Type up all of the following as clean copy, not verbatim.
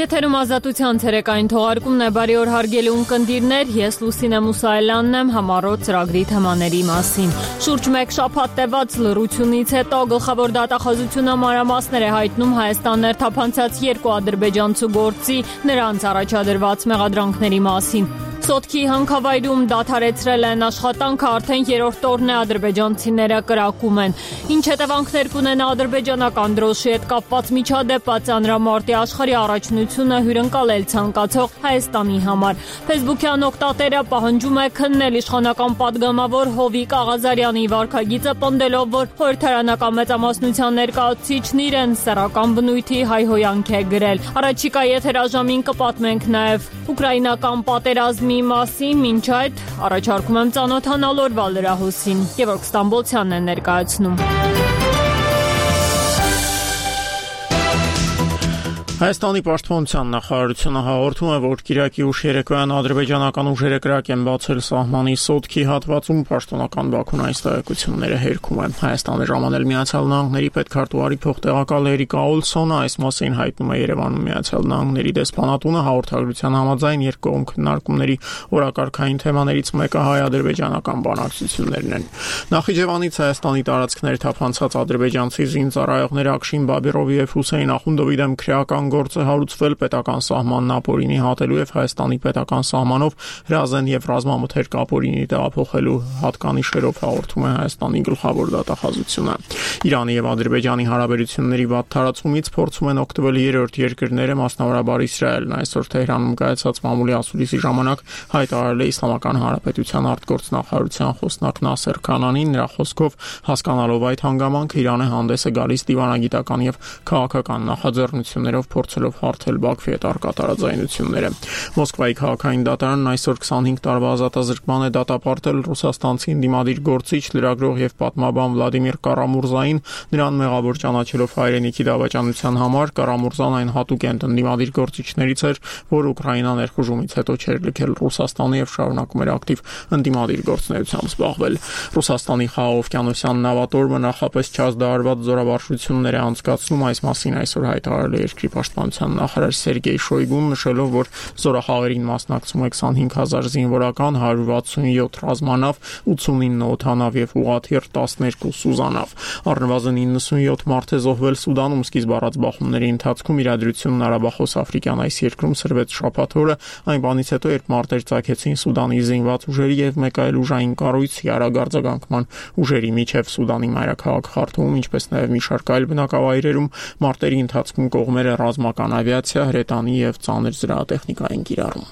Եթերում ազատության ցերեկային թողարկումն է, բարի օր հարգելի ունկնդիրներ, ես Լուսինե Մուսայելյանն եմ, համառոտ ծրագրի թեմաների մասին։ Շուրջ մեկ շաբաթ տևած լռությունից հետո գլխավոր դատախազությունը մանրամասներ է հայտնում Հայաստան ներթափանցած 2 ադրբեջանցու գործի նրանց առաջադրված մեղադրանքների մասին։ Սոտքի հանքավայրում դադարեցրել են աշխատանքը, արդեն 3-րդ օրն է ադրբեջանցիները կրակում են։ Ինչ հետևանքներ կունենա ադրբեջանական դրոշի հետ կապված միջադեպը, ծանրամարտի աշխարհի առաջնությունը հյուրընկալել ցանկացող Հայաստանի համար։ Facebook-յան օգտատերը պահանջում է քննել իշխանական падգամավոր Հովիկ Աղազարյանի վարքագիծը, պնդելով, որ խորհրդարանական մեծամասնության ներկայացուցիչն իրեն սեռական բնույթի հայհոյանք է գրել։ Առաջիկա եթերաժամին կպատմենք նաև ուկրաինական պատերազմի մասին, մինչ այդ առաջարկում եմ ծանոթանալ օրվա լրահոսին։ Գևորգ Ստամբոլցյանն է ներկայացնում։ Հայաստանի պաշտպանության նախարարությունը հաղորդում է, որ Կիրակի ուշ երեկոյան ադրբեջանական ուժերը կրակ են բացել սահմանի Սոտքի հատվածում, պաշտոնական Բաքուն այս տեղեկությունները հերքում է։ Հայաստանը ժամանել Միացյալ Նահանգների պետքարտուղարի փոխտեղակալ Էրիկ Աուլսոնը, այս մասին հայտնում է Երևանում Միացյալ Նահանգների դեսպանատունը, հաղորդագրության համաձայն երկկողմ քննարկումների օրակարգային թեմաներից մեկը հայ-ադրբեջանական բանակցություններն են։ Նախիջևանից Հայաստանի տարածքներ թափանցած ադրբեջանցի զինծառայողներ Աքշին Բաբիրովի եւ Հուսեյն Ախունդովի դեմ քրեական գործը հարուցվել պետական սահմանն ապօրինի հատելու եւ Հայաստանի պետական սահմանով հրազեն եւ ռազմամթերք ապօրինի տեղափոխելու հատկանիշերով հաղորդում է Հայաստանի գլխավոր դատախազությունը։ Իրանի եւ Ադրբեջանի հարաբերությունների վատ տարածումից փորձում են օգտվել երրորդ երկրները, մասնավորաբար Իսրայելն։ Այսօր Թեհրանում կայացած մամուլի ասուլիսի ժամանակ հայտարարել է Իսլամական Հանրապետության արտգործնախարարության խոսնակ Նասեր Քանանին, նրա խոսքով հասկանալով այդ հանգամանքը Իրանը հանդես է գալիս դիվանագիտական եւ քաղաքական նախաձեռնություններով փորձելով հարթել Բաքվի հետ առկա տարաձայնությունները։ Մոսկվայի քաղաքային դատարանն այսօր 25 տարվա ազատազրկման է դատապարտել ռուսաստանցի ընդդիմադիր գործիչ, լրագրող եւ պատմաբան Վլադիմիր Կարամուրզային, նրան մեղավոր ճանաչելով հայրենիքի դավաճանության համար։ Կարամուրզան այն հատուկ ընդդիմադիր գործիչներից էր, որ Ուկրաինա ներխուժումից հետո չէր լքել Ռուսաստանը եւ շարունակում էր ակտիվ ընդդիմադիր գործունեությամբ զբաղվել։ Ռուսաստանի Խաղաղօվկիանոսյան նավատորմը նախապես չազդարարված զորավարժություններ է անցկացնում, այս մասին այսօր հայտարարել է երկրի պաշտպանության նախարար Սերգեյ Շոյգուն, նշելով, որ զորախաղերին մասնակցում է 25,000 զինվորական, 167 ռազմանավ, 89 օդանավ եւ ուղղաթիռ 12 սուզանավ։ Առնվազն 97 մարդ է զոհվել Սուդանում սկիզբ առած բախումների ընթացքում։ Իրադրությունն Արաբախոս Աֆրիկյան այս երկրում սրվեց շաբաթ օրը, այն բանից հետո, երբ մարտեր ծագեցին Սուդանի զինված ուժերի եւ մեկ այլ ուժային կառույցի արագարձագանքման ուժերի միջև Սուդանի մայրաքաղաք Խարթումում, ինչպես նաեւ մի շարք այլ բնակավայրերում մարտերի ընթացքում կողմերը ռազմական ավիացիա, հրետանի եւ ծանր զրահատեխնիկա են կիրառում։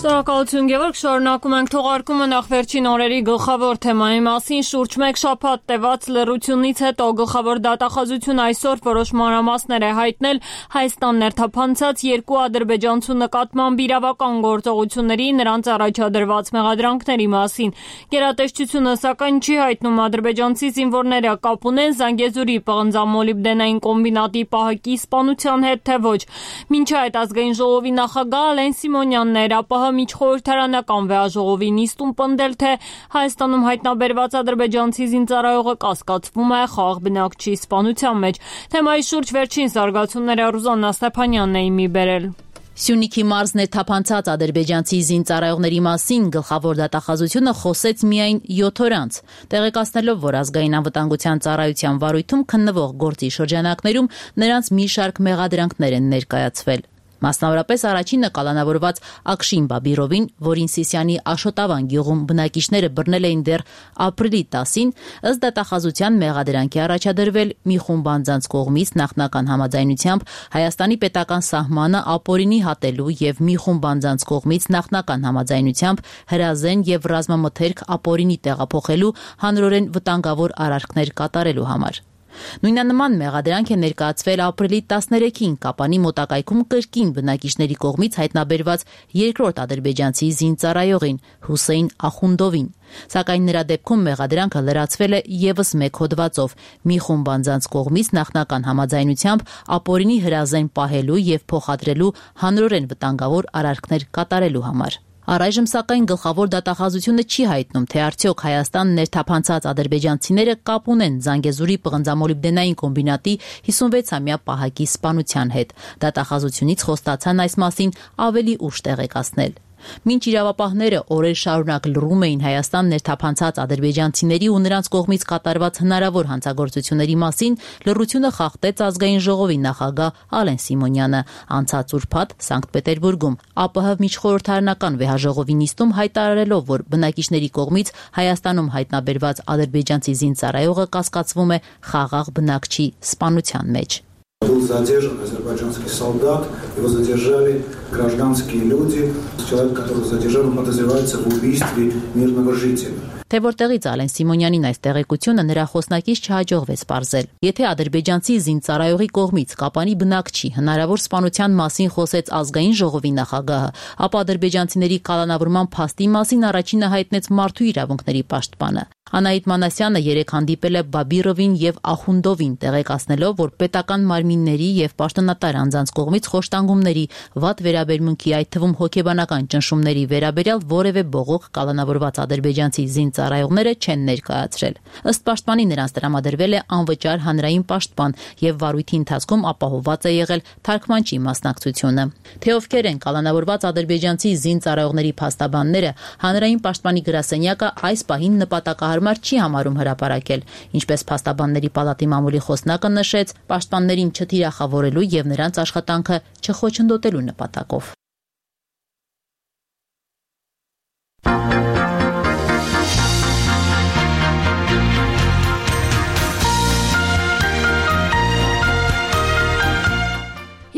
Շնորհակալություն Գևորգ, շարունակում ենք թողարկումը նախ վերջին օրերի գլխավոր թեմայի մասին։ Շուրջ մեկ շաբաթ տևած լռությունից հետո գլխավոր դատախազությունը այսօր որոշ մանրամասներ է հայտնել Հայաստան ներթափանցած 2 ադրբեջանցու նկատմամբ իրավական գործողությունների, նրանց առաջադրված մեղադրանքների մասին։ Գերատեսչությունը սակայն չի հայտնում ադրբեջանցի զինվորները կապ ունեն Զանգեզուրի պղնձամոլիբդենային կոմբինատի պահակի սպանության հետ, թե ոչ։ Մինչ այդ ազգային ժողովի նախագահ Ալեն Սիմոնյանն էր ԱՊՀ միջխորհրդարանական վեաժողովի նիստում պնդել, թե Հայաստանում հայտնաբերված ադրբեջանցի զինծառայողը կասկածվում է խաղաղ բնակչի սպանության մեջ։ Թեմայի շուրջ վերջին զարգացումները Ռուզաննա Ստեփանյանն է իմի բերել։ Սյունիքի մարզն է թափանցած ադրբեջանցի զինծառայողների մասին գլխավոր դատախազությունը խոսեց միայն 7 օր անց, տեղեկացնելով, որ ազգային անվտանգության ծառայության վարույթում քննվող գործի շրջանակներում նրանց մի շարք մեղադրանքներ են ներկայացվել։ Մասնավորապես առաջինը կալանավորված Աքշին Բաբիրովին, որին Սիսիանի Աշոտավան գյուղում բնակիչները բռնել էին դեռ ապրիլի 10-ին, ըստ դատախազության մեղադրանքի առաջադրվել մի խումբ անձանց կողմից նախնական համաձայնությամբ Հայաստանի պետական սահմանը ապօրինի հատելու եւ մի խումբ անձանց կողմից նախնական համաձայնությամբ հրազեն եւ ռազմամթերք ապօրինի տեղափոխելու հանրորեն վտանգավոր արարքներ կատարելու համար։ Նույնանման մեղադրանք է ներկայացվել ապրիլի 13-ին Կապանի մոտակայքում կրկին բնակիչների կողմից հայտնաբերված երկրորդ ադրբեջանցի զինծառայողին Հուսեյն Ախունդովին, սակայն նրա դեպքում մեղադրանքը լրացվել է եւս մեկ հոդվածով՝ մի խումբ անձանց կողմից նախնական համաձայնությամբ ապօրինի հրազեն պահելու եւ փոխադրելու հանրորեն վտանգավոր արարքներ կատարելու համար։ Առայժմ սակայն գլխավոր դատախազությունը չի հայտնում, թե արդյոք Հայաստան ներթափանցած ադրբեջանցիները կապ ունեն Զանգեզուրի պղնձամոլիբդենային կոմբինատի 56-ամյա պահակի սպանության հետ։ Դատախազությունից խոստացան այս մասին ավելի ուշ տեղեկացնել։ Մինչ իրավապահները օրեր շարունակ լռում էին Հայաստան ներթափանցած ադրբեջանցիների ու նրանց կողմից կատարված հնարավոր հանցագործությունների մասին, լռությունը խախտեց Ազգային ժողովի նախագահ Ալեն Սիմոնյանը անցած ուրբաթ Սանկտ Պետերբուրգում ԱՊՀ միջխորհրդարանական վեհաժողովի նիստում հայտարարելով, որ բնակիչների կողմից Հայաստանում հայտնաբերված ադրբեջանցի զինծառայողը կասկածվում է խաղաղ բնակչի սպանության մեջ։ Был задержан азербайджанский солдат, его задержали гражданские люди. Человек, которого задержали, подозревается в убийстве мирного жителя. Թե որտեղից Ալեն Սիմոնյանին այս տեղեկությունը նրա խոսնակից չհաջողվեց պարզել։ Եթե ադրբեջանցի զինծառայողի կողմից Կապանի բնակչի հնարավոր սպանության մասին խոսեց Ազգային ժողովի նախագահը, ապա ադրբեջանցիների կալանավորման փաստի մասին առաջինը հայտնեց Մարդու իրավունքների պաշտպանը։ Անահիտ Մանասյանը երեկ հանդիպել է Բաբիրովին եւ Ախունդովին, տեղեկացնելով, որ պետական մարմինների եւ պաշտոնատար անձանց կողմից խոշտանգումների, վատ վերաբերմունքի, այդ թվում հոգեբանական ճնշումների վերաբերյալ որևէ բողոք կալանավորված ադրբեջանցի զինծառայողները չեն ներկայացրել։ Ըստ պաշտպանի նրանց տրամադրվել է անվճար հանրային պաշտպան եւ վարույթի ընթացքում ապահովված է եղել թարգմանչի մասնակցությունը։ Թե ովքեր են կալանավորված ադրբեջանցի զինծառայողների փաստաբանները, հանրային պաշտպանի գրասենյակը այս պահին նպատակահարմար չի համարում հրապարակել, ինչպես փաստաբանների պալատի մամուլի խոսնակը նշեց, պաշտպաններին չթիրախավորելու եւ նրանց աշխատանքը չխոչընդոտելու նպատակով։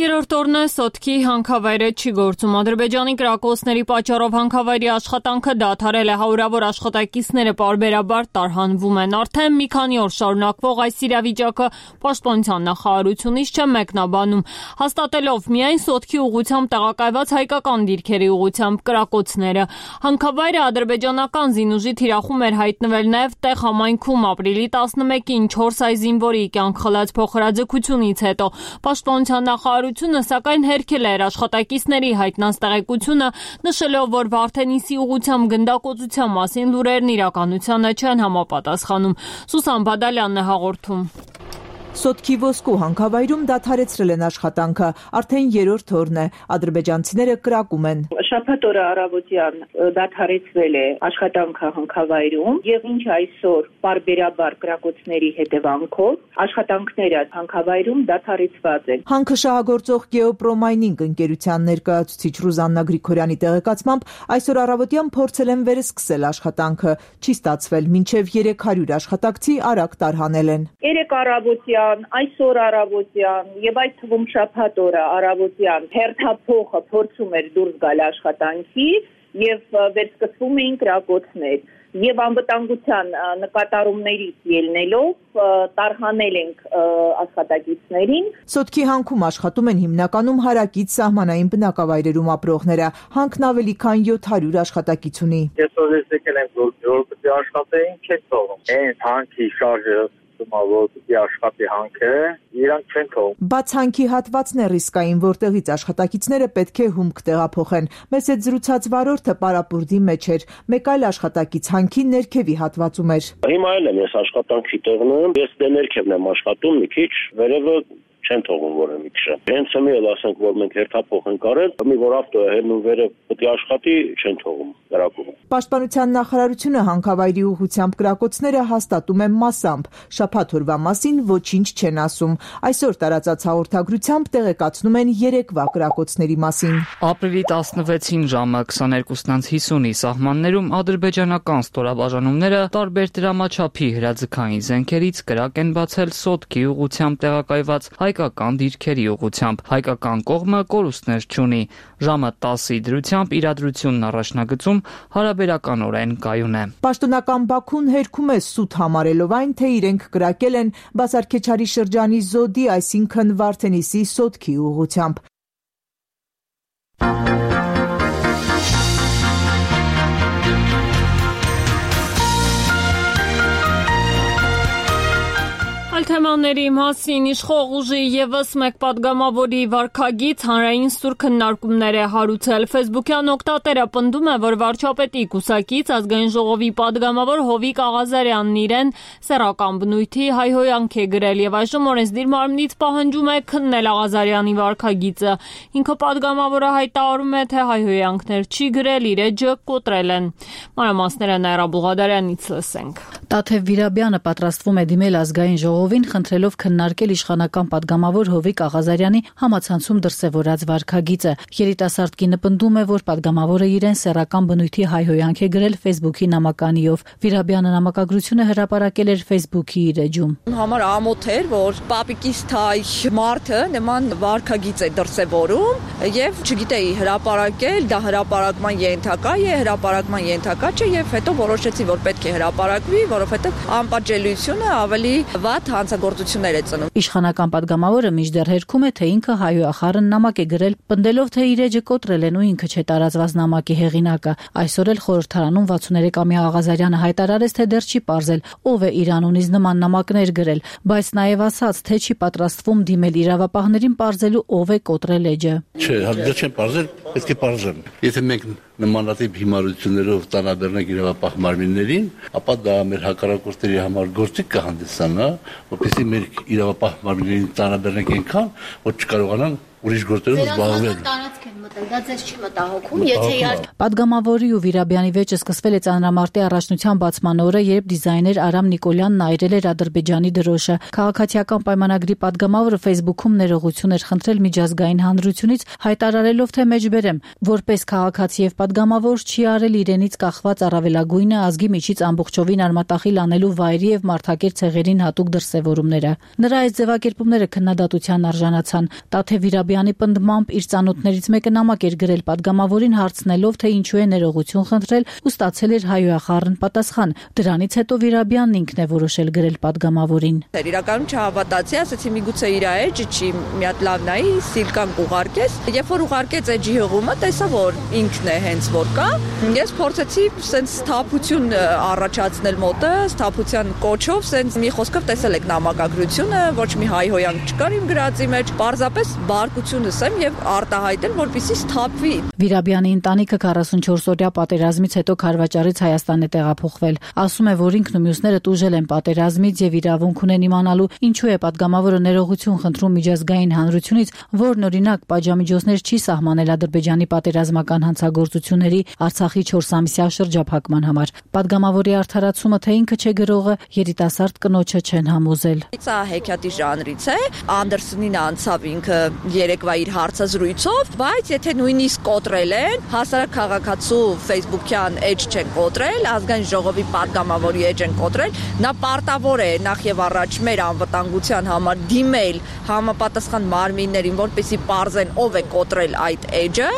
Երրորդ օրն է Սոտքի հանքավայրը չի գործում։ Ադրբեջանի կրակոցների պատճառով հանքավայրի աշխատանքը դադարել է, հարյուրավոր աշխատակիցները պարբերաբար տարհանվում են։ Արդեն մի քանի օր շարունակվող այս իրավիճակը պաշտպանության նախարարությունից չէ մեկնաբանում, հաստատելով միայն Սոտքի ուղղությամբ տեղակայված հայկական դիրքերի ուղղությամբ կրակոցները։ Հանքավայրը ադրբեջանական զինուժի թիրախում էր հայտնվել նաև տեղ համայնքում ապրիլի 11-ին 4 այ զինվորի կյանք խլած փոխհրաձգությունից հետո։ Պաշտպանության նախարարությունը սակայն հերքել էր աշխատակիցների հայտնած տեղեկությունը, նշելով, որ Վարդենիսի ուղղությամբ գնդակոծության մասին լուրերն իրականությանը չեն համապատասխանում։ Սուսան Բադալյանն է հաղորդում։ Սոտքի ոսկու հանքավայրում դադարեցրել են աշխատանքը, արդեն երրորդ օրն է, ադրբեջանցիները կրակում են։ Շաբաթ օրը առավոտյան դադարեցվել է աշխատանքը հանքավայրում եւ ինչ այսօր պարբերաբար կրակոցների հետևանքով աշխատանքները հանքավայրում դադարեցված են։ Հանքը շահագործող Գեոպրոմայնինգ ընկերության ներկայացուցիչ Ռուզաննա Գրիգորյանի տեղեկացմամբ այսօր առավոտյան փորձել են վերսկսել աշխատանքը, չի ստացվել, մինչև 300 աշխատակցի արագ տարհանել են։ Երեք առավոտյան այսօր առավոտյան եւ այդ թվում շաբաթ օրը առավոտյան հերթափողը փորձում էր դուրս գալ աշխատանքից եւ վերսկսվում էին կրակոցներ եւ անվտանգության նկատառումներից ելնելով տարհանել ենք աշխատակիցներին։ Սոտքի հանքում աշխատում են հիմնականում հարակից սահմանային բնակավայրերում ապրողները, հանքն ավելի քան 700 աշխատակից ունի։ Այսօր եկել ենք որպեսզի աշխատեին, չեն թողում։ Այն հանքի շարժը որ աշխատի հանքը իրանք չեն թողում։ Բաց հանքի հատվածն է ռիսկային, որտեղից աշխատակիցները պետք է հումք տեղափոխեն։ Մեզ հետ զրուցած վարորդը պարապուրդի մեջ էր, մեկ այլ աշխատակից հանքի ներքևի հատվածում էր։ Հիմա էլ եմ ես աշխատանքի տեղն եմ, ես դե ներքևն եմ աշխատում մի քիչ, վերևը չեն թողում որը մի քիչ։ Հենց հիմա էլ ասենք, որ մենք հերթափոխ ենք արել, մի որ ավտոը հերնում վերև պետք է աշխատի, չեն թողում կրակում։ Պաշտպանության նախարարությունը հանքավայրի ուղղությամբ կրակոցները հաստատում է մասամբ, շաբաթ օրվա մասին ոչինչ չեն ասում։ Այսօր տարածած հաղորդագրությամբ տեղեկացնում են երեկվա կրակոցների մասին։ Ապրիլի 16-ին ժամը 22:50-ի սահմաններում ադրբեջանական ստորաբաժանումները տարբեր դրամաչափի հրաձգային զենքերից կրակ են բացել Սոտքի ուղղությամբ տեղակայված հայկական դիրքերի ուղղությամբ։ Հայկական կողմը կորուստներ չունի։ Ժամը 10-ի դրությամբ իրադրությունն առաջնագծում հարաբերականորեն կայուն է։ Պաշտոնական Բաքուն հերքում է սուտ համարելով այն, թե իրենք կրակել են Բասարքեչարի շրջանի Զոդի, այսինքն Վարդենիսի Սոտքի ուղղությամբ։ Այլ թեմա Թեմաների մասին իշխող ուժի ևս մեկ падգամավորի վարքագիծ հանրային սուր քննարկումներ է հարուցել։ Ֆեյսբուքյան օգտատերը պնդում է, որ վարչապետի կուսակից Ազգային ժողովի падգամավոր Հովիկ Աղազարյանն իրեն սեռական բնույթի հայհոյանք է գրել եւ այժմ օրենսդիր մարմնից պահանջում է քննել Աղազարյանի վարքագիծը։ Ինքը падգամավորը հայտարարում է, թե հայհոյանքներ չի գրել, իր էջը կոտրել են։ Մանրամասները Նաիրա Բուղադարյանից լսենք։ Տաթև Վիրաբյանը պատրաստվում է դիմել Ազգային ժողովին, խնդրելով քննարկել իշխանական падգամավոր Հովիկ Աղազարյանի համացանցում դրսևորած վարքագիծը։ Երիտասարդ կինը պնդում է, որ падգամավորը իրեն սեռական բնույթի հայհոյանք է գրել Ֆեյսբուքի նամականիով։ Վիրաբյանը նամակագրությունը հրապարակել էր Ֆեյսբուքի իր էջում։ Համար ամոթ էր, որ պապիկիս թայ մարդը նման վարքագիծ է դրսևորում եւ չգիտեի հրապարակել, դա հրապարակման ենթակա է, հրապարակման ենթակա չէ եւ հետո որոշեցի, որ պետք է հրապարակվի, որովհետեւ անպատժելիությունը ավելի վատ հանցագործություններ է ծնում։ Իշխանական падգամավորը մինչդեռ հերքում է, թե ինքը հայոյախառն նամակ է գրել, պնդելով, թե իր էջը կոտրել են ու ինքը չէ տարածված նամակի հեղինակը։ Այսօր էլ խորհրդարանում 63-ամյա Աղազարյանը հայտարարեց, թե դեռ չի պարզել ով է իր անունից նման նամակներ գրել, բայց նաև ասաց, թե չի պատրաստվում դիմել իրավապահներին պարզելու ով է կոտրել էջը։ Չէ, դեռ չեմ պարզել, պետք է պարզեմ։ Եթե մենք նմանատիպ հիմարություններով տանաբեռնենք իրավապահ մարմիններին, ապա դա մեր հակառակորդների համար գործիք կհանդիսանա, որպեսզի մեր իրավապահ մարմիններին տանաբեռնենք այնքան, որ չկարողանան ուրիշ գործերով զբաղվել։ Դա ձեզ չի մտահոգում, եթե Պատգամավորի ու Վիրաբյանի վեճը սկսվել է ծանրամարտի առաջնության բացման օրը, երբ դիզայներ Արամ Նիկոլյանն այրել էր Ադրբեջանի դրոշը։ Քաղաքացիական պայմանագրի падգամավորը Ֆեյսբուքում ներողություն էր խնդրել միջազգային հանրությունից, հայտարարելով, թե մեջբերեմ, որպես քաղաքացի եւ падգամավոր չի արել իրենից կախված առավելագույնը ազգի միջից ամբողջովին արմատախիլ անելու վայրի եւ մարդակեր ցեղերին հատուկ դրսեւորումները։ Նրա այս ձևակերպումները քննադատության արժանացան։ Տաթև Վիրաբյանի պնդմամբ իր ծանոթներից մեկը նամակ էր գրել падգամավորին հարցնելով, թե ինչու է ներողություն խնդրել ու ստացել էր հայոյախառն պատասխան։ Դրանից հետո Վիրաբյանն ինքն է որոշել գրել падգամավորին։ Իրականում չհավատացի, ասացի միգուցե իր էջը չի, մի հատ լավ նայի, սիլկան կուղարկես։ Երբ որ ուղարկեց էջի հղումը, տեսա, որ ինքն է հենց որ կա։ Ես փորձեցի սենց սթափություն առաջացնել մոտը, սթափության կոչով, սենց մի խոսքով տեսել եք նամակագրությունը, ոչ մի հայհոյանք չկար իմ գրածի մեջ, պարզապես բարկությունս եմ եւ արտահայտել, որպեսզի սթափվի։ Վիրաբյանի ընտանիքը 44-օրյա պատերազմից հետո Քարվաճառից Հայաստան է տեղափոխվել։ Ասում է, որ ինքն ու մյուսները տուժել են պատերազմից եւ իրավունք ունեն իմանալու ինչու է падգամավորը ներողություն խնդրում միջազգային հանրությունից, որն օրինակ պատժամիջոցներ չի սահմանել Ադրբեջանի պատերազմական հանցագործությունների Արցախի 4-ամսյա շրջափակման համար։ Падգամավորի արդարացումը, թե ինքը չէ գրողը, երիտասարդ կնոջը չեն համոզել։ Սա հեքիաթի ժանրից է, Անդերսոնին անցավ ինքը երեկվա իր հարցազրույցով, բայց եթե նույնիսկ կոտրել են, հասարակ քաղաքացու ֆեյսբուքյան էջ չեն կոտրել, ազգային ժողովի падգամավորի էջ են կոտրել, նա պարտավոր է նախ եւ առաջ մեր անվտանգության համար դիմել համապատասխան մարմիններին, որպեսզի պարզեն ով է կոտրել այդ էջը։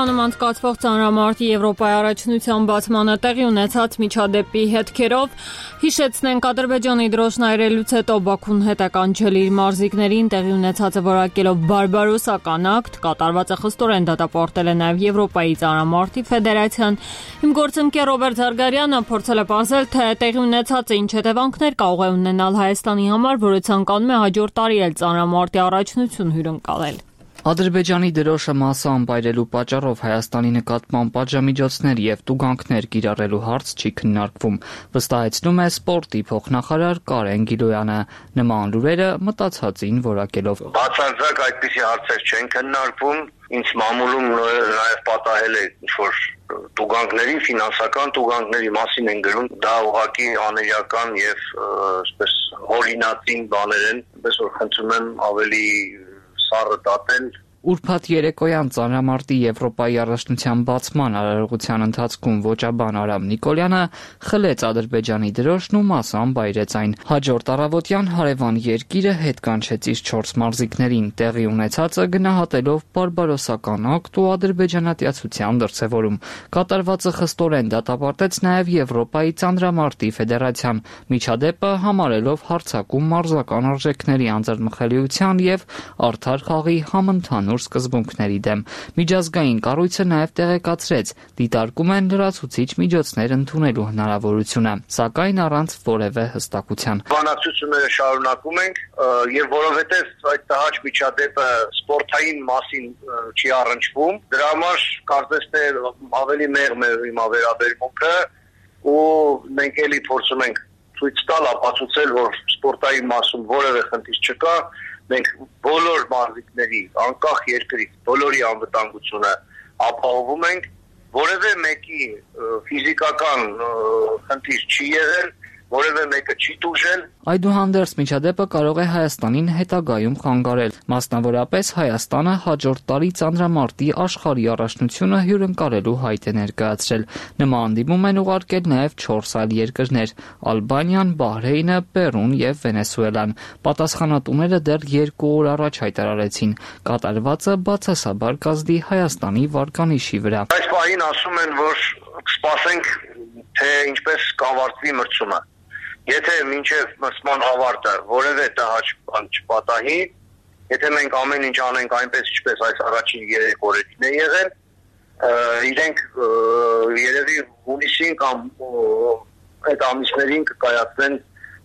Երևանում անցկացվող ծանրամարտի Եվրոպայի առաջնության բացմանը տեղի ունեցած միջադեպի հետքերով հիշեցնենք Ադրբեջանի դրոշն այրելուց հետո Բաքուն հետ է կանչել իր մարզիկներին տեղի ունեցածը որակելով բարբարոսական ակտ, կատարվածը խստորեն դատապարտել է նաև Եվրոպայի ծանրամարտի ֆեդերացիան։ Իմ գործընկեր Ռոբերտ Զարգարյանը փորձել է պարզել, թե տեղի ունեցածը ինչ հետևանքներ կարող է ունենալ Հայաստանի համար, որը ցանկանում է հաջորդ տարի էլ ծանրամարտի առաջնություն հյուրընկալել։ Ադրբեջանի դրոշը մասամբ այրելու պատճառով Հայաստանի նկատմամբ պատժամիջոցներ եւ տուգանքներ կիրառելու հարց չի քննարկվում, վստահեցնում է սպորտի փոխնախարար Կարեն Գիլոյանը։ Նման լուրերը մտածածին որակելով։ Բացարձակ այդպիսի հարցեր չեն քննարկվում, ինձ մամուլում նաեւ պատահել է ինչ-որ տուգանքների, ֆինանսական տուգանքների մասին են գրում, դա ուղղակի աներիական եւ այսպես հորինածին բաներ են, այսպես որ խնդրում եմ ավելի սառը դատել։ Ուրբաթ երեկոյան ծանրամարտի Եվրոպայի առաջնության բացման արարողության ընթացքում ոճաբան Արամ Նիկոլյանը խլեց Ադրբեջանի դրոշն ու մասամբ այրեց այն։ Հաջորդ առավոտյան հարևան երկիրը հետ կանչեց իր 4 մարզիկներին, տեղի ունեցածը գնահատելով բարբարոսական ակտ ու ադրբեջանատյացության դրսևորում։ Կատարվածը խստորեն դատապարտեց նաև Եվրոպայի ծանրամարտի ֆեդերացիան, միջադեպը համարելով հարձակում մարզական արժեքների անձեռնմխելիության եւ արդար խաղի համընդհանուր ընդհանուր սկզբունքների դեմ։ Միջազգային կառույցը նաև տեղեկացրեց, դիտարկում են լրացուցիչ միջոցներ ընդունելու հնարավորությունը, սակայն առանց որևէ հստակության։ Բանակցությունները շարունակում ենք, եւ որովհետեւ այդ տհաճ միջադեպը սպորտային մասին չի առնչվում, դրա համար կարծես թե ավելի մեղմ է հիմա վերաբերմունքը ու մենք էլի փորձում ենք ցույց տալ, ապացուցել, որ սպորտային մասում որևէ խնդիր չկա, մենք բոլոր մարզիկների, անկախ երկրից, բոլորի անվտանգությունը ապահովում ենք, որևէ մեկի ֆիզիկական խնդիր չի եղել, որևէ մեկը չի տուժել։ Այդուհանդերձ միջադեպը կարող է Հայաստանին հետագայում խանգարել, մասնավորապես Հայաստանը հաջորդ տարի ծանրամարտի աշխարհի առաջնությունը հյուրընկալելու հայտ է ներկայացրել։ Նման հանդիպում են ուղարկել նաև 4 այլ երկրներ՝ Ալբանիան, Բահրեյնը, Պերուն եւ Վենեսուելան։ Պատասխանատուները դեռ 2 օր առաջ հայտարարեցին, կատարվածը բացասաբար կազդի Հայաստանի վարկանիշի վրա։ Այս պահին ասում են, որ սպասենք, թե ինչպես կավարտվի մրցումը։ Եթե մինչև մրցման ավարտը որևէ տհաճ բան չպատահի, եթե մենք ամեն ինչ անենք այնպես, ինչպես այս առաջին 3 օրերին է եղել, իրենք երևի հունիսին կամ այդ ամիսներին կկայացնեն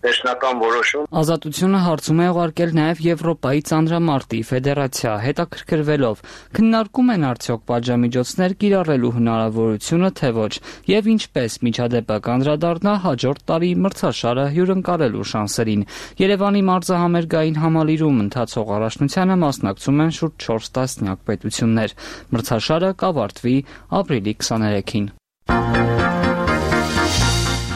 վերջնական որոշում։ Ազատությունը հարցում է ուղարկել նաև Եվրոպայի ծանրամարտի ֆեդերացիա, հետաքրքրվելով, քննարկում են արդյոք պատժամիջոցներ կիրառելու հնարավորությունը, թե ոչ, եւ ինչպես միջադեպը կանդրադառնա հաջորդ տարի մրցաշարը հյուրընկալելու շանսերին։ Երևանի մարզահամերգային համալիրում ընթացող առաջնությանը մասնակցում են շուրջ 4 տասնյակ պետություններ։ Մրցաշարը կավարտվի ապրիլի 23-ին։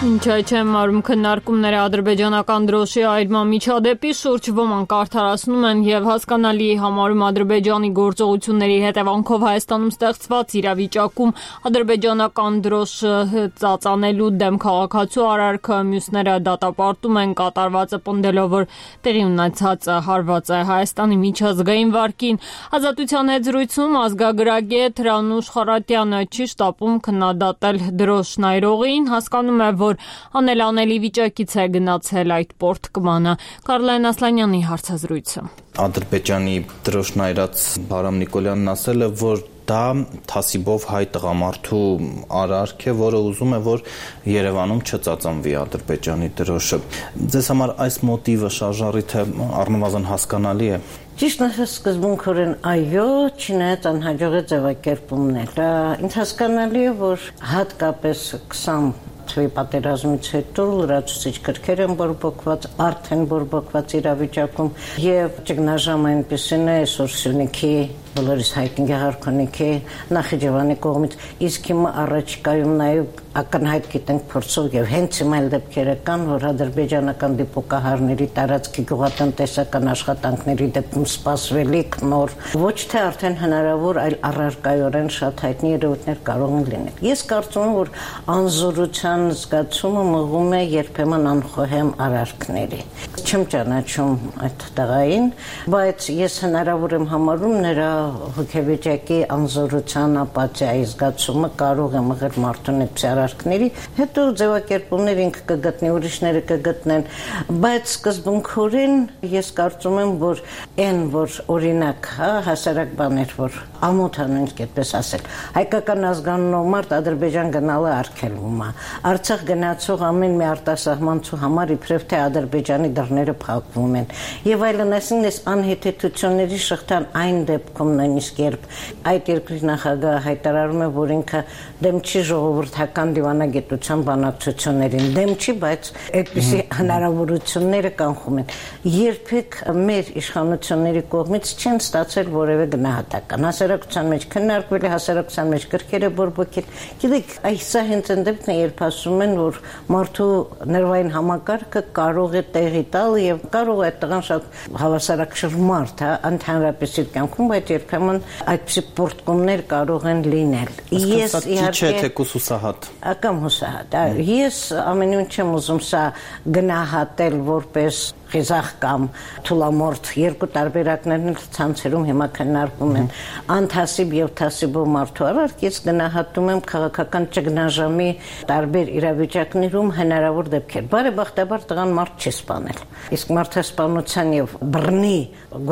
Ինչ չեմ մարում քննարկումները ադրբեջանական դրոշի այրման միջադեպի շուրջ ոմանք արդարացնում են եւ հասկանալի համարում Ադրբեջանի գործողությունների հետևանքով Հայաստանում ստեղծված իրավիճակում ադրբեջանական դրոշը ծածանելու դեմ քաղաքացու արարքը, մյուսները դատապարտում են կատարվածը պնդելով, որ տեղի ունեցածը հարված է Հայաստանի միջազգային վարկին։ Ազատության հետ զրույցում ազգագրագետ Հրանուշ Խարատյանը չի շտապում քննադատել դրոշն այրողին, հասկանում է, որ անելանելի վիճակից է գնացել այդ պորտկմանը։ Կարլեն Ասլանյանի հարցազրույցը։ Ադրբեջանի դրոշն այրած Բարամ Նիկոլյանն ասել է, որ դա թասիբով հայ տղամարդու արարք է, որը ուզում է, որ Երևանում չծածանվի Ադրբեջանի դրոշը։ Ձեզ համար այս մոտիվը շարժառիթը առնվազն հասկանալի է։ Ճիշտ է, սկզբունքորեն այո, չնայած անհաջող է ձևակերպումները։ Ինձ հասկանալի է, որ հատկապես 20 թվի պատերազմից հետո լրացուցիչ կրքեր են բորբոքված, արդեն բորբոքված իրավիճակում եւ ճգնաժամը այնպեսին է, այսօր Սյունիքի բոլորիս հայտնի Գեղարքունիքի Նախիջևանի կողմից, իսկ հիմա առաջիկայում նաև ակնհայտ գիտենք փորձով եւ հենց հիմա էլ դեպքերը կան, որ ադրբեջանական դիպուկահարների տարածքի գյուղատնտեսական աշխատանքների դեպքում սպասվելիք նոր ոչ թե արդեն հնարավոր, այլ առարկայորեն շատ հայտնի երևույթներ կարող են լինել։ Ես կարծում եմ, որ անզորության զգացումը մղում է երբեմն անխոհեմ արարքների։ Չեմ ճանաչում այդ տղային, բայց ես հնարավոր եմ համարում նրա հոգեվիճակի անզորության ապաթիայի զգացումը կարող է մղել մարդուն այդպես արարքների, հետո ձևակերպումներ ինքը կգտնի, ուրիշները կգտնեն, բայց սկզբունքորեն ես կարծում եմ, որ այն, որ օրինակ, հասարակ բաներ, որ ամոթանունց այդպես ասել, հայկական ազգանունով մարդ Ադրբեջան գնալը արգելվում է, Արցախ գնացող ամեն մի արտասահմանցու համար իբրև թե Ադրբեջանի դռները փակվում են, եւ այլն, այսինքն անհեթեթությունների շղթան այն դեպքում նույնիսկ երբ այդ երկրի նախագահը հայտարարում է, որ ինքը դեմ չի ժողովրդական դիվանագիտության բանակցություններին, դեմ չի, բայց այդպիսի հնարավորությունները կանխում են։ Երբեք մեր իշխանությունների կողմից չեն ստացել որևէ գնահատական։ Հասարակության մեջ քննարկվել է, հասարակության մեջ կրքերը բորբոքել։ Գիտեք, սա հենց այն դեպքն է, երբ ասում են, որ մարդու նրվային համակարգը կարող է տեղի տալ եւ կարող է այդ տղան շատ հավասարակշռ մարդ, ընդհանրապես իր կյանքում, բայց երբեմն այդպիսի պորտկումներ կարող են լինել։ Ես իհարկե թեկուս հուսահատ։ Կամ հուսահատ։ Ես ամեն ինչ չեմ ուզում սա գնահատել որպես խիզախ կամ թուլամորթ երկու տարբերակներն ցանցերում հիմա քննարկվում են անթասիբ եւ թասիբով մարդու արարքից գնահատում եմ քաղաքական ճգնաժամի տարբեր իրավիճակներում հնարավոր դեպքեր բարեբախտաբար տղան մարդ չի սպանել իսկ մարդասպանության եւ բռնի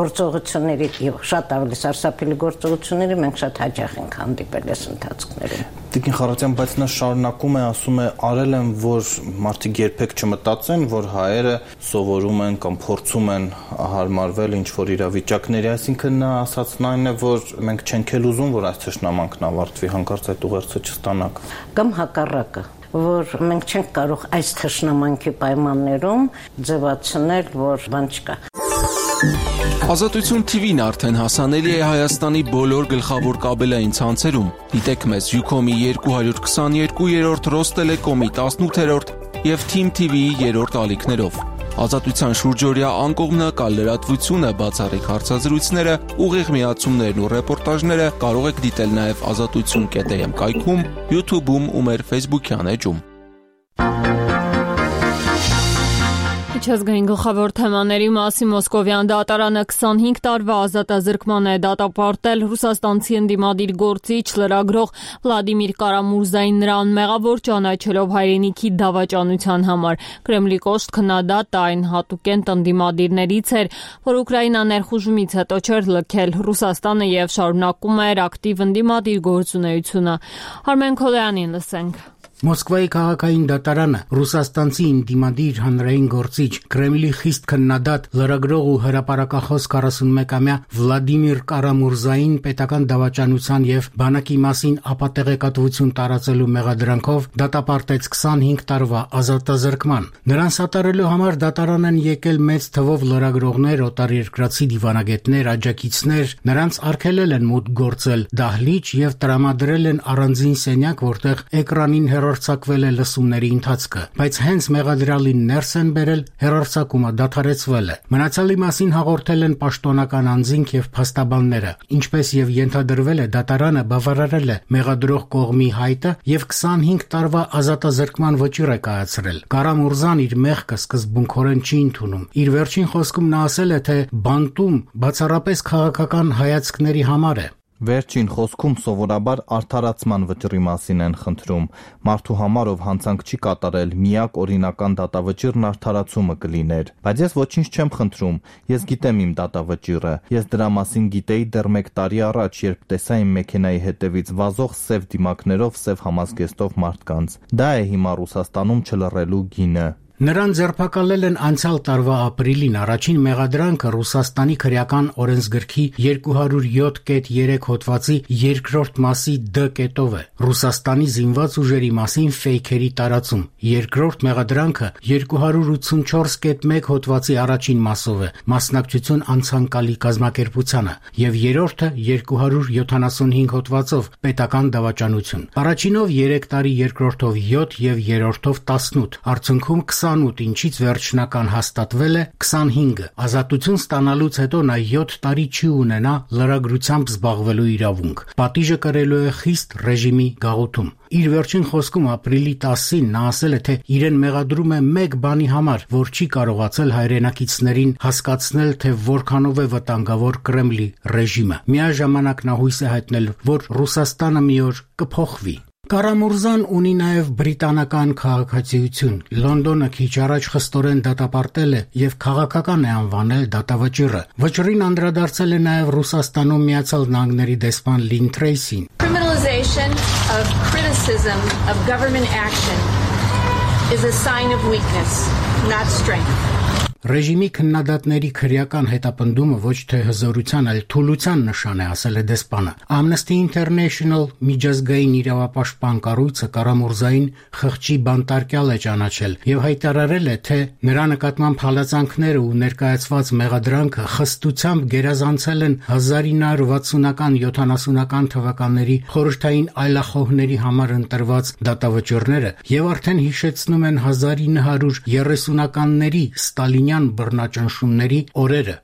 գործողությունների եւ շատ ավելի սարսափելի գործողությունների մենք շատ հաճախ ենք հանդիպել այս ընթացքներում Տիկին Խարատյան, բայց նա շարունակում է ասում է արել են, որ մարդիկ երբեք չմտածեն, որ հայերը սովորում են կամ փորձում են հարմարվել ինչ-որ իրավիճակների, այսինքն նա ասածն այն է, որ մենք չենք էլ ուզում, որ այս թշնամանքն ավարտվի, հանկարծ այդ ուղերձը չստանաք։ Կամ հակառակը, որ մենք չենք կարող այս թշնամանքի պայմաններում ձևացնել, որ բան չկա։ Ազատություն TV-ն արդեն հասանելի է Հայաստանի բոլոր գլխավոր կաբելային ցանցերում։ Դիտեք մեզ Ucom-ի 222-րդ, Ռոստելեկոմի 18-րդ և Team TV-ի 3-րդ ալիքներով։ Ազատության շուրջօրյա անկողմնակալ լրատվությունը, բացառիկ հարցազրույցները, ուղիղ միացումներն ու ռեպորտաժները կարող եք դիտել նաև azatutsun.am կայքում, YouTube-ում ու մեր Facebook-յան էջում։ Միջազգային գլխավոր թեմաների մասին Մոսկովյան դատարանը 25 տարվա ազատազրկման է դատապարտել ռուսաստանցի ընդդիմադիր գործիչ լրագրող Վլադիմիր Կարամուրզային նրան մեղավոր ճանաչելով հայրենիքի դավաճանության համար։ Կրեմլի կոշտ քննադատը այն հատուկենտ ընդդիմադիրներից էր, որ Ուկրաինա ներխուժումից հետո չէր լքել Ռուսաստանը եւ շարունակում էր ակտիվ ընդդիմադիր գործունեությունը։ Արմեն Քոլյանին լսենք։ Մոսկվայի քաղաքային դատարանը ռուսաստանցի ընդդիմադիր հանրային գործիչ Կրեմլի խիստ քննադատ լրագրող ու հրապարակախոս 41-ամյա Վլադիմիր Կարամուրզային պետական դավաճանության եւ բանակի մասին ապատեղեկատվություն տարածելու մեղադրանքով դատապարտեց 25 տարվա ազատազրկման։ Նրան սատարելու համար դատարան են եկել մեծ թվով լրագրողներ, օտարերկրացի դիվանագետներ, աջակիցներ, նրանց արգելել են մուտք գործել դահլիճ եւ տրամադրել են առանձին սենյակ, որտեղ էկրանին հեռարձակվել է լսումների ընթացքը, բայց հենց մեղադրյալին ներս են բերել, հեռարձակումը դադարեցվել է։ Մնացյալի մասին հաղորդել են պաշտոնական անձինք եւ փաստաբանները, ինչպես եւ ենթադրվել է, դատարանը բավարարել է մեղադրող կողմի հայտը եւ 25 տարվա ազատազրկման վճիռ է կայացրել։ Կարամուրզան իր մեղքը սկզբունքորեն չի ընդունում։ Իր վերջին խոսքում նա ասել է, թե բանտում բացառապես քաղաքական հայացքների համար է։ Վերջին խոսքում սովորաբար արդարացման վճռի մասին են խնդրում։ Մարդու համար ով հանցանք չի կատարել, միակ օրինական դատավճիռն արդարացումը կլիներ։ Բայց ես ոչինչ չեմ խնդրում, ես գիտեմ իմ դատավճիռը։ Ես դրա մասին գիտեի դեռ 1 տարի առաջ, երբ տեսա իմ մեքենայի հետևից վազող սև դիմակներով սև համազգեստով մարդկանց։ Դա է հիմա Ռուսաստանում չլռելու գինը։ Նրան ձերբակալել են անցյալ տարվա ապրիլին առաջին մեղադրանքը Ռուսաստանի քրեական օրենսգրքի 207.3 հոդվածի երկրորդ մասի D կետով է։ Ռուսաստանի զինված ուժերի մասին ֆեյքերի տարածում։ Երկրորդ մեղադրանքը 284.1 հոդվածի առաջին մասով է՝ մասնակցություն անցանկալի կազմակերպությանը, եւ երրորդը 275 հոդվածով պետական դավաճանություն։ Առաջինով 3 տարի, երկրորդով 7 եւ երրորդով 18։ Արդյունքում 28, ինչից վերջնական հաստատվել է 25-ը։ Ազատություն ստանալուց հետո նա 7 տարի չի ունենա լրագրությամբ զբաղվելու իրավունք։ Պատիժը կրելու է խիստ ռեժիմի գաղութում։ Իր վերջին խոսքում ապրիլի 10-ին նա ասել է, թե իրեն մեղադրում է մեկ բանի համար, որ չի կարողացել հայրենակիցներին հասկացնել, թե որքանով է վտանգավոր Կրեմլի ռեժիմը։ Միաժամանակ նա հույս է հայտնել, որ Ռուսաստանը մի օր կփոխվի։ Կարամուրզան ունի նաև բրիտանական քաղաքացիություն։ Լոնդոնը քիչ առաջ խստորեն դատապարտել է եւ քաղաքական է անվանել դատավճիռը։ Վճռին անդրադարձել է նաև Ռուսաստանում Միացյալ Նահանգների դեսպան Լին Թրեյսին։ Criminalization of criticism of government action is a sign of weakness, not strength. Ռեժիմի քննադատների քրեական հետապնդումը ոչ թե հզորության, այլ թուլության նշան է, ասել է դեսպանը։ Amnesty International միջազգային իրավապաշտպան կառույցը Կարամուրզային խղճի բանտարկյալ է ճանաչել եւ հայտարարել է, թե նրա նկատմամբ հալածանքները ու ներկայացված մեղադրանքը խստությամբ գերազանցել են 1960-ական 70-ական թվականների խորհրդային այլախոհների համար ընտրված դատավճիռները եւ արդեն հիշեցնում են 1930-ականների Ստալինյան բռնաճնշումների օրերը։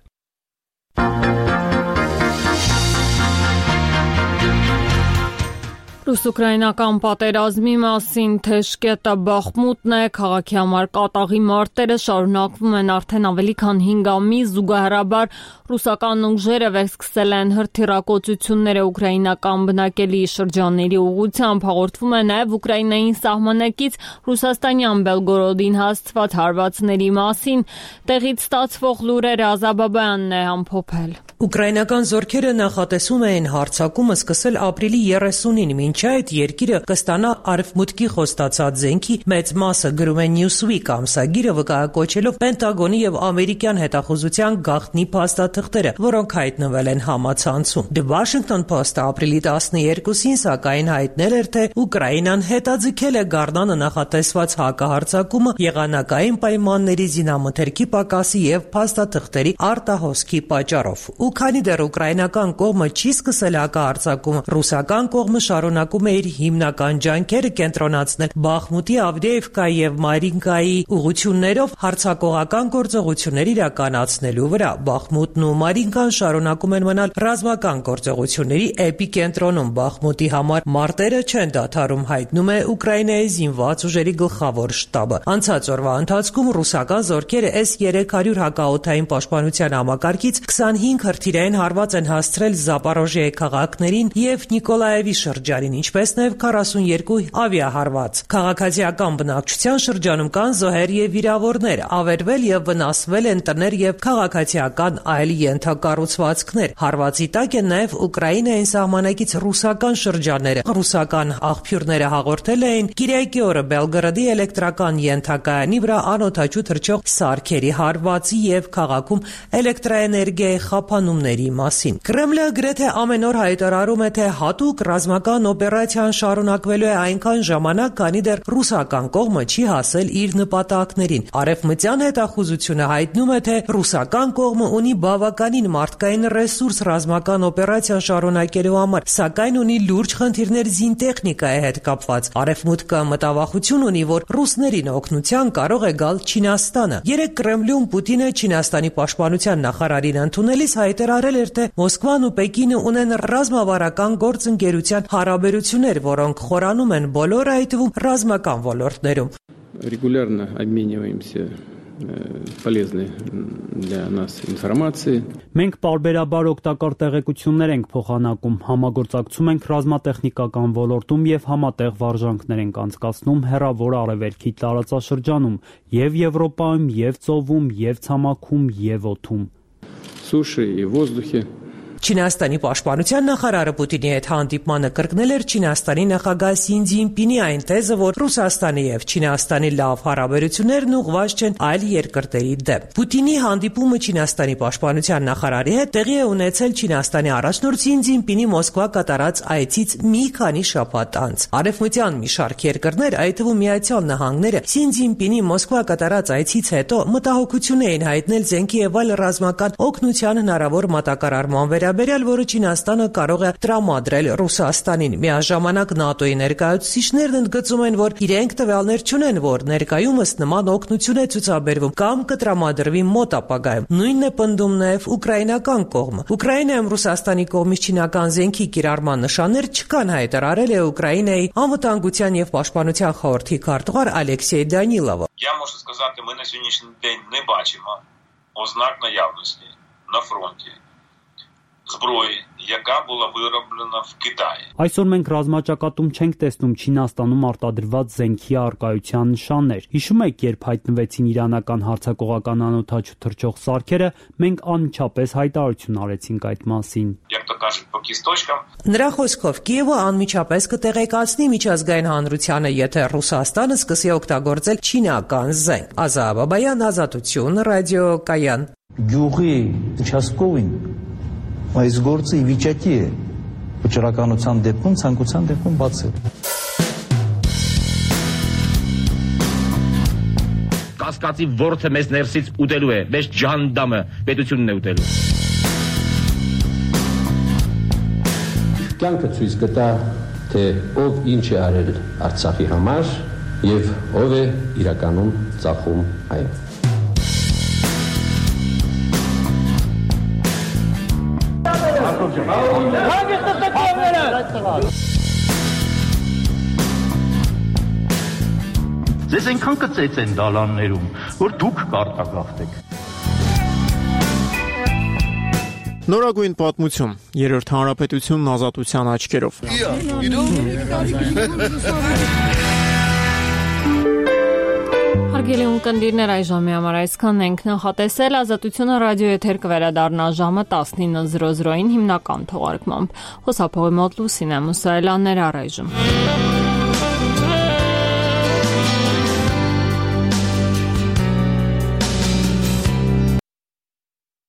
Ռուս-ուկրաինական պատերազմի մասին թեժկետը Բախմուտն է, քաղաքի համար կատաղի մարտերը շարունակվում են արդեն ավելի քան 5 ամիս, զուգահեռաբար ռուսական ուժերը վերսկսել են հրթիռակոծությունները ուկրաինական բնակելի շրջանների ուղղությամբ, հաղորդվում է նաև Ուկրաինային սահմանակից ռուսաստանյան Բելգորոդին հասցված հարվածների մասին, տեղից ստացվող լուրերը Ազաբաբյանն է ամփոփել։ Ուկրաինական զորքերը նախատեսում էին հարձակումը սկսել ապրիլի 30-ին, մինչ այդ երկիրը կստանա արևմուտքի խոստացած զենքի մեծ մասը, գրում է Newsweek ամսագիրը, վկայակոչելով Պենտագոնի եւ ամերիկյան հետախուզության գաղտնի փաստաթղթերը, որոնք հայտնվել են համացանցում։ The Washington Post-ը ապրիլի 12-ին սակայն հայտնել էր, թե Ուկրաինան հետաձգել է գարնանը նախատեսված հակահարձակումը եղանակային պայմանների, զինամթերքի պակասի եւ փաստաթղթերի արտահոսքի պատճառով։ Ու քանի դեռ ուկրաինական կողմը չի սկսել հակահարձակումը, ռուսական կողմը շարունակում է իր հիմնական ջանքերը կենտրոնացնել Բախմուտի, Ավդեևկայի եւ Մարինկայի ուղղություններով հարձակողական գործողություններ իրականացնելու վրա։ Բախմուտն ու Մարինկան շարունակում են մնալ ռազմական գործողությունների էպիկենտրոնում։ Բախմուտի համար մարտերը չեն դադարում, հայտնում է Ուկրաինայի զինված ուժերի գլխավոր շտաբը։ Անցած օրվա ընթացքում ռուսական զորքերը S-300 հակաօդային պաշտպանության համակարգից 25 հրթիռային հարված են հասցրել Զապորոժիայի քաղաքներին եւ Նիկոլաևի շրջանին, ինչպես նաեւ 42 ավիահարված։ Քաղաքացիական բնակչության շրջանում կան զոհեր եւ վիրավորներ, ավերվել եւ վնասվել են տներ եւ քաղաքացիական այլ ենթակառուցվածքներ։ Հարվածի տակ են նաեւ Ուկրաինային սահմանակից ռուսական շրջանները։ Ռուսական աղբյուրները հաղորդել էին Կիրակի օրը Բելգորոդի էլեկտրական ենթակայանի վրա անօդաչու թռչող սարքերի հարվածի եւ քաղաքում էլեկտրաէներգիայի խափանումների մասին։ Կրեմլը գրեթե ամեն օր հայտարարում է, թե հատուկ ռազմական օպերացիան շարունակվելու է այնքան ժամանակ, քանի դեռ ռուսական կողմը չի հասել իր նպատակներին։ Արևմտյան հետախուզությունը հայտնում է, թե ռուսական կողմը ունի բավականին մարդկային ռեսուրս ռազմական օպերացիան շարունակելու համար, սակայն ունի լուրջ խնդիրներ զինտեխնիկայի հետ կապված։ Արևմուտքը մտավախություն ունի, որ ռուսներին օգնության կարող է գալ Չինաստանը։ Երեկ Կրեմլում Պուտինը Չինաստանի պաշտպանության նախարարին ընդունելիս հայտարարել էր, թե Մոսկվան ու Պեկինը ունեն ռազմավարական գործընկերության հարաբերություններ, որոնք խորանում են բոլոր, այդ թվում ռազմական ոլորտներում։ Регулярно обмениваемся полезной для нас информацией. Մենք պարբերաբար օգտակար տեղեկություններ ենք փոխանակում, համագործակցում ենք ռազմատեխնիկական ոլորտում եւ համատեղ վարժանքներ ենք անցկացնում հեռավոր արևելքի տարածաշրջանում, եւ Եվրոպայում, եւ ծովում, եւ ցամաքում, եւ օդում. Суши и воздухе. Չինաստանի պաշտպանության նախարարը Պուտինի հետ հանդիպմանը կրկնել էր Չինաստանի նախագահ Սին Ցզինպինի այն թեզը, որ Ռուսաստանի եւ Չինաստանի լավ հարաբերություններն ուղղված չեն այլ երկրների դեմ։ Պուտինի հանդիպումը Չինաստանի պաշտպանության նախարարի հետ տեղի է ունեցել Չինաստանի առաջնորդ Սին Ցզինպինի Մոսկվա կատարած այցից մի քանի շաբաթ անց։ Արևմտյան մի շարք երկրներ, այդ թվում Միացյալ Նահանգները, Սին Ցզինպինի Մոսկվա կատարած այցից հետո մտահոգություն էին հայտնել զենքի եւ այլ ռազմական օգնության հնարավոր մատակարարման վերաբերյալ, որը Չինաստանը կարող է տրամադրել Ռուսաստանին։ Միաժամանակ ՆԱՏՕ-ի ներկայացուցիչներն ընդգծում են, որ իրենք տվյալներ չունեն, որ ներկայումս նման օգնություն է ցուցաբերվում կամ կտրամադրվի մոտ ապագայում։ Նույնն է պնդում նաև ուկրաինական կողմը։ Ուկրաինայում Ռուսաստանի կողմից չինական զենքի կիրառման нышанներ չկան, հայտարարել է Ուկրաինայի անվտանգության եւ պաշտպանության խորհրդի քարտուղար Ալեքսեյ Դանիլովը։ Я можу сказати, ми на сьогоднішній день не бачимо ознак наявності на фронті зброї, яка була вироблена в Китаї. Այսօր մենք ռազմաճակատում չենք տեսնում Չինաստանում արտադրված զենքի արկայության նշաններ։ Հիշում եք, երբ հայտնվեցին իրանական հարձակողական անօդաչու թռչող սարքերը, մենք անմիջապես հայտարարություն արեցինք այդ մասին։ Як то кажуть, по кісточкам. Նրա խոսքով Կիևը անմիջապես կտեղեկացնի միջազգային հանրությանը, եթե Ռուսաստանը սկսի օգտագործել չինական զենք։ Ազաբաբայան, Ազատություն, ռադիոկայան։ Գյուղի участковին այս գործը ի վիճակի է վճռականության դեպքում, ցանկության դեպքում բացել։ Կասկածի ворթը մեզ ներսից ուտելու է, մեզ ջանդամը պետությունն է ուտելու։ Կյանքը ցույց կտա, թե ով ինչ է արել Արցախի համար եւ ով է իրականում ծախում այն։ Ձեզ այնքան կծեծեն դալաններում, որ դուք կարտագաղթեք։ Նորագույն պատմություն, երրորդ հանրապետությունն ազատության աչքերով։ Հարգելի ունկնդիրներ, այժմի համար այսքանն ենք նախատեսել։ Ազատությունը ռադիո եթեր կվերադառնա ժամը 19:00-ին հիմնական թողարկմամբ։ Խոսափողի մոտ Լուսինե Մուսայելյաններ առայժմ։